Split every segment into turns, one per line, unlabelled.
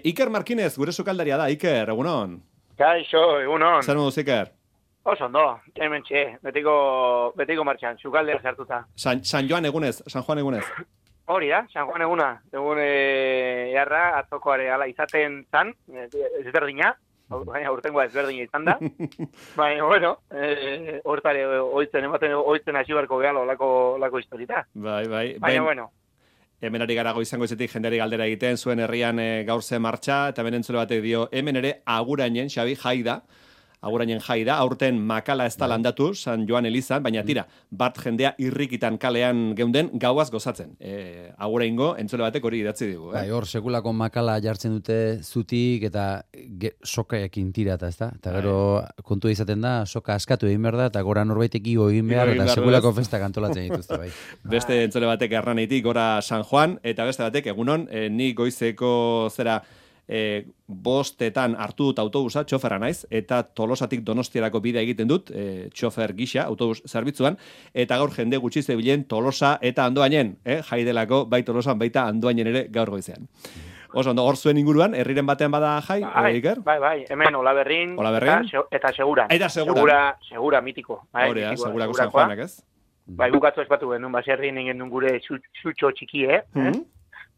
Iker Markinez, gure sukaldaria da, Iker, egunon.
Kaixo, egunon.
Zer moduz, Iker?
Oso ondo, hemen txe, betiko martxan, sukaldea sartuta.
San Juan egunez.
Hori da, San Juan eguna. Egun jarra, atzokoare ala izaten zan, ezberdina, baina urtengoa ezberdina izan da. Baina, bueno, hortare oitzen hasi barko gehala olako historita.
Bai.
Baina, bueno.
Hemen ari gara goizango izetik jendeari galdera egiten, zuen herrian gaur ze martxa, eta hemen entzule batek dio, hemen ere agurainen, Xabi, jai da, aurten makala ez da landatu, San Joan Elizan, baina tira, bat jendea irrikitan kalean geunden, gauaz gozatzen. Aguraingo, entzule batek hori idatzi digu.
Bai, hor, sekulako makala jartzen dute zutik, eta sokaekin tirata, ez da? Eta gero, kontua izaten da, soka askatu egin behar da, eta gora norbaitek igo egin behar, eta sekulako festak antolatzen dituzte, bai.
Beste entzule batek erraneitik, gora San Juan, eta beste batek, egunon, ni goizeko zera, bostetan hartu dut autobusa, txoferra naiz, eta Tolosatik Donostiarako bidea egiten dut, txofer gisa, autobus zerbitzuan, eta gaur jende gutxi zebilen Tolosa eta Andoainen, jaidelako, bai Tolosan, baita Andoainen ere gaur goizean. Oso, hor zuen inguruan, herriren batean bada jai, Iker?
Bai, hemen Olaberrin. Eta Seguran. Segura mitiko.
Hori da, Segurako San Juanak, ez?
Bai, bukatu espatu genuen, baserri ningen gure zutxo txikie,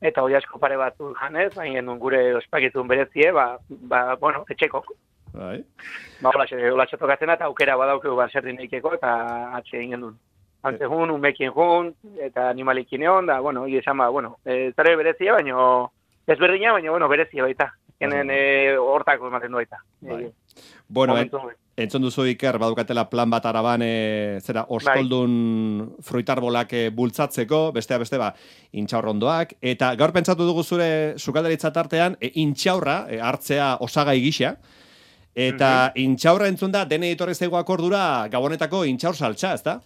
eta hori asko pare bat janez, baina gure ospakizun berezie, bueno, etxekok.
Bai.
Hola txotokatzen eta aukera badaukeu baserri neikeko, eta atxe egin duen. Antze jun, umekin jun, eta animalikin egon, da, bueno, esan bueno, zare berezia, baina ezberdina, baina, bueno, berezia baita. Genen hortako ematen du baita.
Bueno, entzun duzu Iker, badukatela plan bat araban, zera, oskoldun fruitarbolak bultzatzeko, beste, intxaurrondoak, eta gaur pentsatu dugu zure sukaldaritza tartean, intxaurra, hartzea osagai gisa, eta intxaurra entzun da, dene ditorri zaigu akordura, gabonetako intxaur saltza, ez da?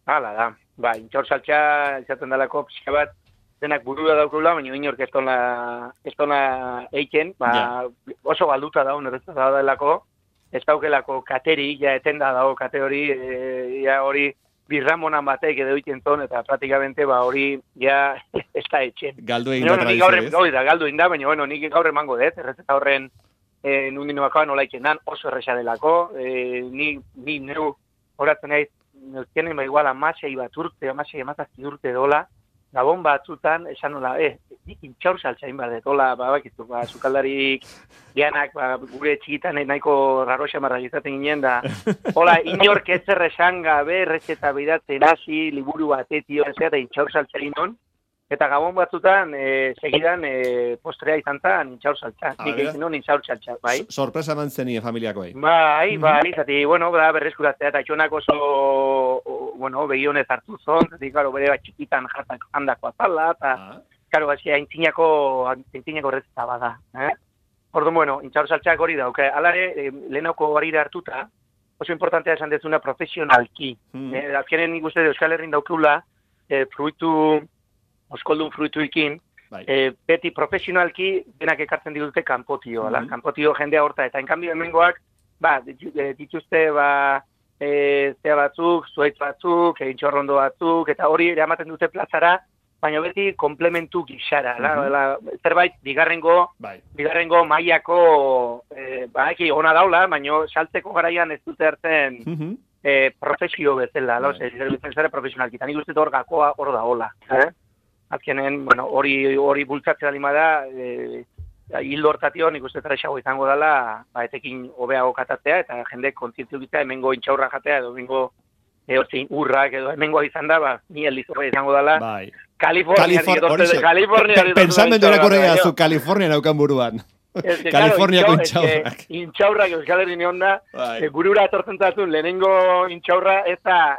Hala da, intxaur saltza, izaten dalako, pixka bat, denak burua daukula, baina inork ez tona eiken, oso galduta daun, errezta da delako, ez daukelako kateri, ja etenda dago kate hori, hori birramonan batek edo iten ton, eta pratikamente hori ja ez da etxen.
Galdu egin da tradizio, ez?
Galdu egin da, baina bueno, nik gaur emango dut, errezeta horren nundinoakoa nola iken dan, oso erresa delako, ni neu horatzen naiz, neuzkenen igual amasei bat urte, amasei amazazki urte dola, Gabon batzutan, esan nola, nik intxaur saltzain bat dut, hola, bakizu, sukaldarik gianak, gure txikitan nahiko raroxa marra izaten ginen da, hola, inork ez erresan gabe, errezeta bidatzen hasi, liburu batetio, eta intxaur saltzain non, eta Gabon batzutan, segidan, postrea izan zan, intxaur saltza, nik egin non intxaur saltza, bai?
Sorpresa eman zenien familiakoei.
Bai, zati, bueno, berreskuratzea, eta txonak oso, bueno, begionez hartu zon, zati, karo, bere bat txikitan jartak handako azala, eta, karo, aintzinako errezeta bada, Orduan, bueno, intxaur saltzak hori da, alare, lehenauko harira hartuta, oso importantea esan dezuna profesionalki. Azkenen nik uste Euskal Herrin daukula, oskoldun fruituikin, beti profesionalki denak ekartzen dituzte kanpotio, kanpotio jendea horta, eta enkanbio hemengoak, dituzte, zea batzuk, zuaitz batzuk, intxorrondo batzuk, eta hori eramaten dute plazara, baina beti komplementu gixara, zerbait bigarrengo mailako, eki ona daula, baina saltzeko garaian ez dute hartzen profesio bezala, zera profesionalki, eta nik uste hor gakoa hor da hola. Azkenen, bueno, hori bultzatzea lima da, hildo hortatio nik uste tresago izango dela, etekin hobeago katatzea, eta jende kontzientzio gitea, hemengo intxaurra jatea, edo hemengo urrak, edo hemengoa izan da, ni elizorra izango dela, California.
Pensamendu erakorrea zu California naukan buruan. Kaliforniako intxaurrak.
Intxaurrak Euskal Herri nion da, burura atortzen zazun, lehenengo intxaurra ez da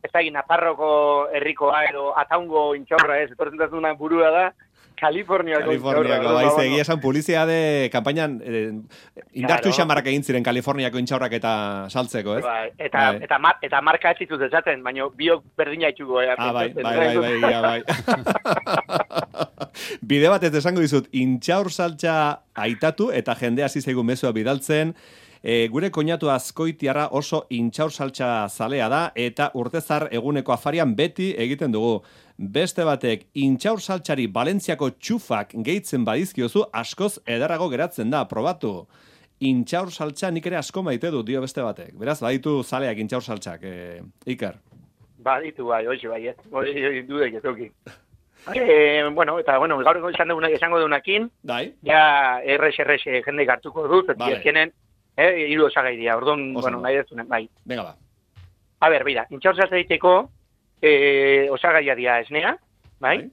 Nafarroko herrikoa edo Ataungo intxaurra ez, etortzen zazuna burua da, Kaliforniako
baiz, egia esan publizitate kampainan indartu xamarrak egin ziren Kaliforniako intxaurrak eta saltzeko, ez?
Eta marka ez dituz esaten, baina biok berdina itxuko.
Bai. Bide bat ez esango dizut, intxaur saltza aitatu eta jende hasi zaigu mezua bidaltzen, Gure koinatu Azkoitiarra oso intxaur saltsa zalea da, eta urtezar eguneko afarian beti egiten dugu. Beste batek, intxaur saltsari Valentziako txufak gehitzen badizkiozu, askoz ederrago geratzen da, probatu. Intxaur saltsa nik ere asko maite du, dio beste batek. Beraz, baditu zaleak intxaur saltsak, Iker.
Baditu bai, ez. Dudek ez duki. Gaur esango dunakin, ja errex jende hartuko dut, ezkenen, hiru osagairia, orduan, nahi dezunen, bai.
Venga ba.
A ber, bera, intxaur saltsa egiteko osagaia dira esnea, bai?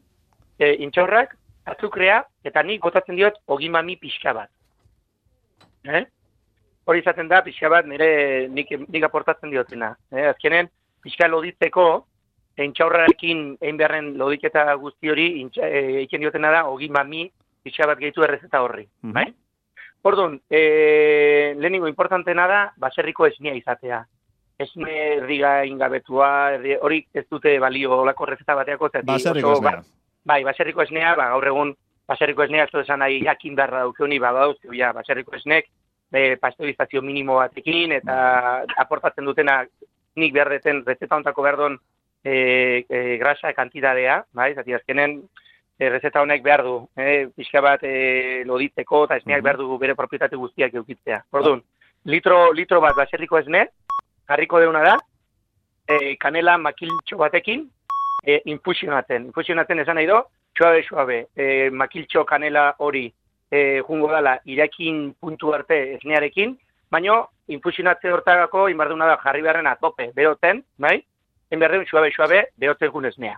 Intxaurrak, azukrea, eta nik botatzen diot ogimami pixka bat. Hori izaten da, pixka bat, nik aportatzen diotena. Azkenen, pixka loditzeko, intxaurrarekin egin beharren lodiketa guzti hori, egiten diotena da, ogimami pixka bat gehitu errezeta horri, bai? Orduan, lehenengo importantena da, baserriko esnea izatea. Esne erdiga ingabetua, hori ez dute balio olako rezeta bateako.
Baserriko esnea.
Bai, baserriko esnea, gaur egun, baserriko esnea, ez esan nahi jakin beharra daukeuni, badauzio, baserriko esnek, pasteurizazio minimo batekin, eta aportatzen dutena nik behar deten, rezeta ontako behar duen grasa kantidadea, bai, zati azkenen, rezeta honek behar du, pixka bat loditzeko, eta esneak behar du bere propietate guztiak eukitzea. Orduan, litro bat baserriko esne, jarriko deuna da, kanela makiltxo batekin, infusionatzen. Infusionatzen esan nahi do, suabe, makiltxo kanela hori jungo dala irakin puntu arte esnearekin, baino infusionatze hortagako inbarduna da jarri beharren atope, beroten, bai? Enberdeun suabe, berotzen gun esnea.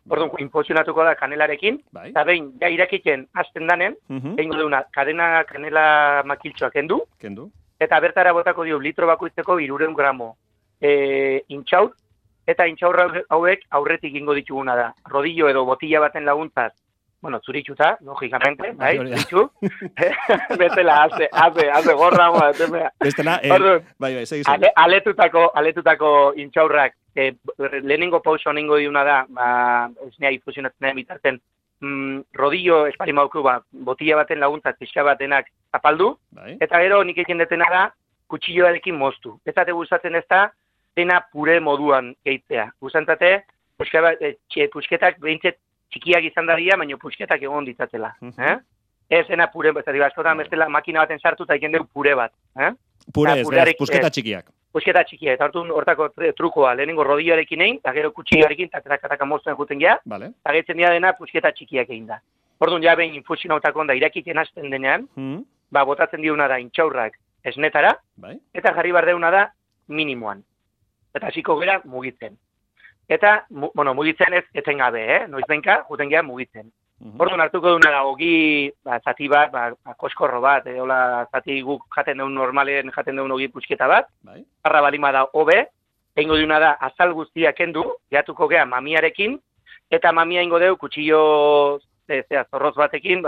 Orduan, infusionatuko da kanelarekin, eta behin, ja irakiten hasten danen, egingo deuna, kanela makiltxoak kendu, eta bertara botako dio litro bakoitzeko 300 gramo intxaur, eta intxaur hauek aurretik ingo dituguna da. Rodillo edo botilla baten laguntzaz, zuritxuta, logikamente, bai, zuritxu, betela, haze gorra,
bestela, segi.
Aletutako intxaurrak, lehenengo pauso ningo diuna da, esnea infusionatzen da bitarten, rodillo esparimauku botilla baten laguntzaz pixka batenak apaldu, eta gero nik egin detena da kutsilloarekin moztu. Ez dute gustatzen ez da, dena pure moduan gehitzea. Gustantzate, pusketak behintzet txikiak izan daria, baina pusketak egon ditzatela. Ez dena pure, askotan bestela makina baten sartu eta egin dugu pure bat.
Pure ez, pusketa txikiak.
Pusketa txikiak, eta hortako trukoa, lehenengo rodilloarekin egin, eta gero kutsilloarekin, eta moztuen juten gea, eta gehitzen dira dena pusketa txikiak egin da. Orduan, ja behin infusionautako onda irakiten hasten denean, botatzen diuna da intxaurrak esnetara, eta jarri bardeuna da minimoan. Eta hasiko gera mugitzen. Eta, mugitzen ez etengabe, noizbenka, juten gea mugitzen. Orduan hartuko duna da, ogi, zati bat, koskorro bat, zati guk jaten deun normalen jaten deun ogi pusketa bat, harra balima da hobe, egingo duna da azal guztia kendu, gehatuko gea mamiarekin, eta mamia ingo deu kutsillo zorroz batekin,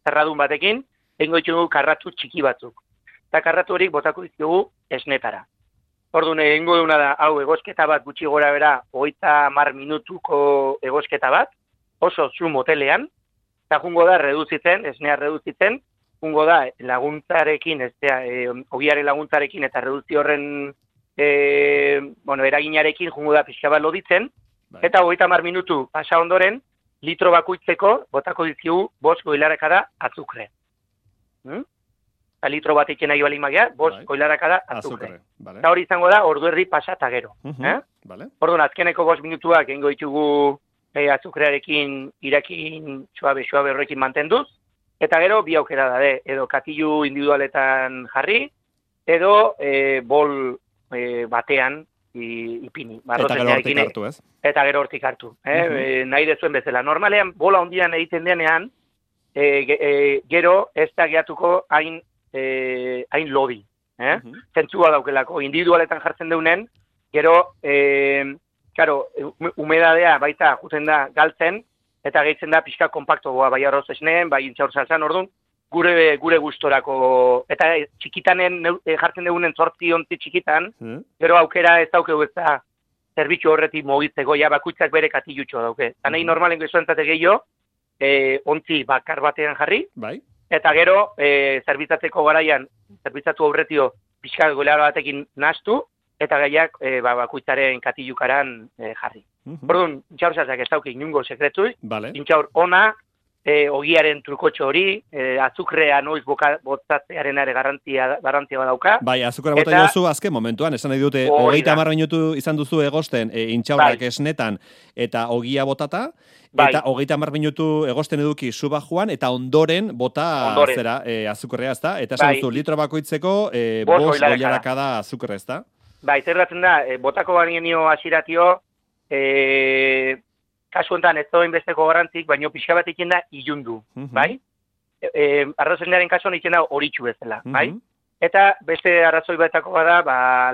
zerradun batekin, egingo ditugu karratu txiki batzuk. Eta karratu horik botako ditugu esnetara. Orduan egingo duna da, hau egosketa bat gutxi gora bera, 30 minutuko egosketa bat, oso zu motelean, eta jungo da esnea reduzitzen, jungo da laguntzarekin, ogiaren laguntzarekin eta reduzzi horren eraginarekin jungo da pixka bat loditzen, eta 30 minutu pasa ondoren, litro bakoitzeko botako dizkigu 5 koilarakada azukre. Litro bat iken nahi bali magia, 5 koilarakada azukre. Eta hori izango da, ordu erdi pasa eta gero. Orduan, azkeneko 5 minutuak egingo ditugu azukrearekin irakin suabe horrekin mantenduz, eta gero bi aukera da, edo katilu individualetan jarri, edo bol batean ipini.
Eta gero hortik hartu, ez?
Eta gero hortik hartu. Nahi dezuen bezala. Normalean, bola hondian egiten denean, gero ez da gehatuko hain lodi. Zentzua daukelako. Individualetan jartzen deunen, gero humedadea baita juten da galtzen, eta gehitzen da pixka kompaktoa, bai arroz esneen, bai intxaur salsan, orduan, gure gustorako, eta txikitanen jartzen dugunen 8 ontzi txikitan, gero aukera ez daukegu ez da zerbitzu horretik mugitzeko, bakuitzak bere katilutxo dauke. Eta nahi normalen goizuentzate gehiago, ontzi bakar batean jarri, eta gero zerbitzatzeko garaian zerbitzatu aurretio pixka golearo batekin nahastu, eta gaiak bakuitzaren katilukaran jarri. Orduan, intxaur saltzak ez dauki inungo sekretui, intxaur ona, ogiaren trukotxo hori, azukrea noiz botatzearen ere garantia badauka.
Bai, azukrea bota jozu azken momentuan, esan nahi dute, 30 minutu izan duzu egosten intxaurrak esnetan eta ogia botata, eta 30 minutu egosten eduki suba joan, eta ondoren bota zera azukrea, ez da? Eta esan duzu, litro bakoitzeko, 5 goilarakada azukrea, ez da?
Bai, zer datzen da, botako bainio asiratio, kasu honetan ez doin besteko garrantzik, baino pixka bat iken da ilundu, bai? Arrazoinaren kasuan iken da horitxu bezala, bai? Eta beste arrazoi batako bada,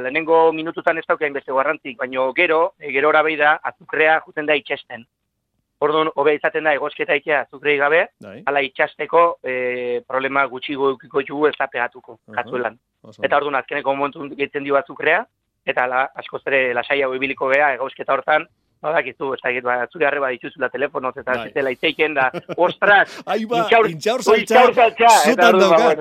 lehenengo minututan ez daukain beste garrantzik, baino gerora behi da, azukrea juten da itxesten. Orduan, hobe izaten da, egosketa ikia azukrei gabe, ala itxasteko problema gutxi gukiko jugu ez da pegatuko, katzuelan. Eta orduan, azkeneko momentu gehitzen dio azukrea, eta askoz ere lasai hau ibiliko gea, egosketa hortan, badakizu, zure arreba dituzula telefonoz, eta zitela iteiken da, ostras,
intxaur saltza, zutan daukat.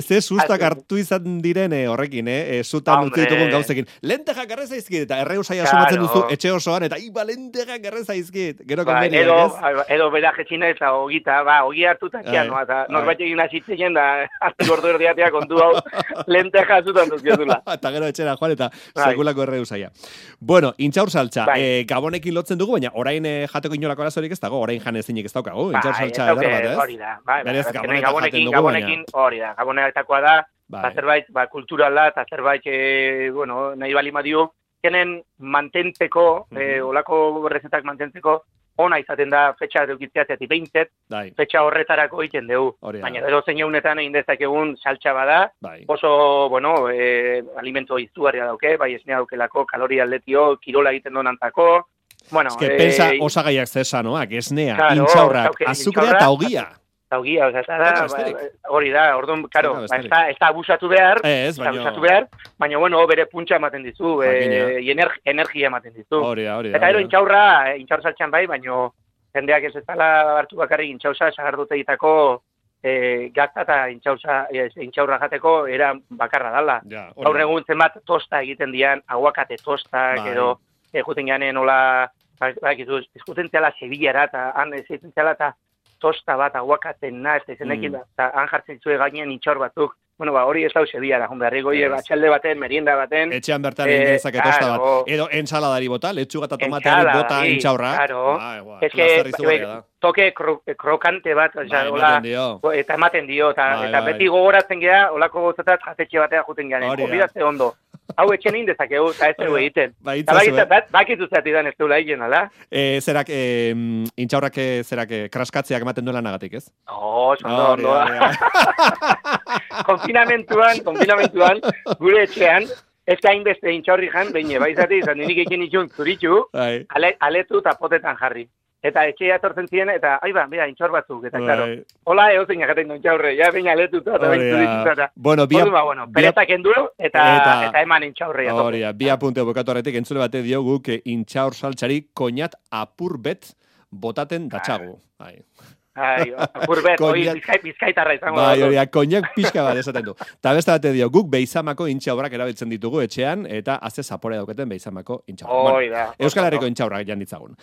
Ze sustak hartu izan diren horrekin, zutan utzi ditugun gauzekin. Lentejak garrez aizkit, eta erreusaia sumatzen duzu etxe osoan, eta lentejak garrez aizkit. Gero konveniak, ez?
Edo bera jetxina eta ogita, ogi hartuta txiano, eta norbait egin azitzen da, hartu gordo erdiatea kontu hau, lenteja zutan duzkiotula.
Eta gero etxera joan, eta sekulako erreusaia. Bueno, intxaur saltza, gabonekin lotzen dugu, baina orain jateko inolako arazorik ez dago, orain jan ezinik ez daukagu, intxaur saltza eder bat, ez?
Hori da, gabonekin hori da, gabonetakoa da, zerbait kulturala, eta zerbait, nahi bali madio, kenen mantentzeko, olako rezetak mantentzeko, ona izaten da fetxa eukitzeateatik behintzet, fetxa horretarako egiten dugu. Baina edo zein egunetan egin dezakegun saltxa bada, oso, alimento izugarria dauke, bai esnea daukelako, kaloria atletio, kirola egiten donantako.
Ez que pensa osagaiak zesanoak, esnea, intxaurrak, azukrea eta ogia.
Ogia, hori da, orduan, karo, ez da abusatu behar, baina, bere puntxa ematen dizu, energia ematen dizu. Eta ero intxaur saltxan bai, baina jendeak ez dela hartu bakarrik intxauza sagardute egitako gazta eta intxaurra jateko era bakarra dala. Gaur egun zenbat tosta egiten dian, aguakate tostak, edo juten ganen hola, izkuten zela Sevillara, eta han eziten zela, eta tosta bat aguakaten naz, ezenekin, eta han jartzen zuen gainean intxaur batzuk. Hori ez dau Sevillara, berrigoi, batxalde baten, merienda baten.
Etxean bertan ingezake tosta bat. Edo ensaladari bota, letxuga eta tomateari bota intxaurra.
Ez que toke krokante bat, eta ematen dio, eta beti gogoratzen gea, olako gozatat jatetxe batea juten gean. Konbidazte ondo. Hau etxen egin dezakegu, eta ez dugu egiten. Bakitu zatidan ez duela egin, ala?
Zerak, intxaurrak zerak, kraskatzeak ematen duela nagatik, ez?
Ondo. Konfinamentuan, gure etxean, ez da inbeste intxaurri jan, behin baizati, izan dinik ekin itxun zuritxu, aletu eta potetan jarri. Eta etxea etortzen ziren, eta, bera, intxaur batzuk, eta, klaro, hola egozen jakaten duen intxaurre, baina aletuta, eta bain zuritxu, eta, peretak endu, eta eman intxaurre.
Bi apunte bukatu horretik, entzule bate diogu, que intxaur saltxari koñat apur bet botaten datxagu.
Apurbet, bizkaitarra izango.
Koñak pixka bat esaten du. Ta beste bate dio, guk beizamako intxaurrak erabiltzen ditugu etxean, eta azte zapore dauketen beizamako intxaurrak. Euskal Herriko intxaurrak jan ditzagun.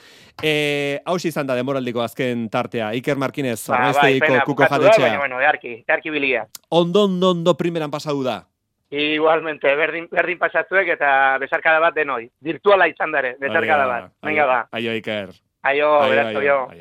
Hauz izan da demoraldiko azken tartea, Iker Markinez, Arraiztegiko kuko jatetxea.
Earki biliga.
Ondo primeran pasadu da.
Igualmente, berdin pasatzuek eta besarkada bat denoi. Virtuala izan dare, besarkada bat. Venga ba.
Aio, Iker.
Aio, berazko jo.